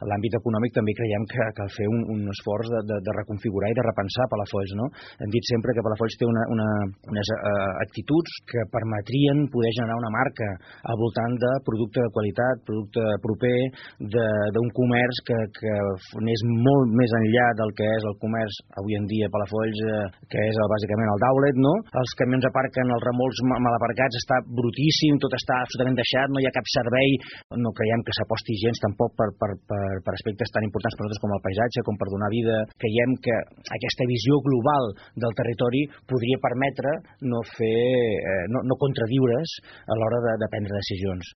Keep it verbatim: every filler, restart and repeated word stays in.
en l'àmbit econòmic també creiem que cal fer un, un esforç de, de, de reconfigurar i de repensar Palafolls, no? Hem dit sempre que Palafolls té una, una, unes uh, actituds que permetrien poder generar una marca al voltant de producte de qualitat, producte proper, d'un comerç que, que anés molt més enllà del que és el comerç avui en dia a Palafolls, eh, que és el, bàsicament el d'outlet, no? Els camions aparquen, els remolcs mal aparcats, està brutíssim, tot està absolutament deixat, no hi ha cap servei, no creiem que s'aposti gens tampoc per, per, per, per aspectes tan importants per nosaltres com el paisatge, com per donar vida. Creiem que aquesta visió global del territori podria permetre no fer, eh, no, no contradiure's a l'hora de, de prendre decisions.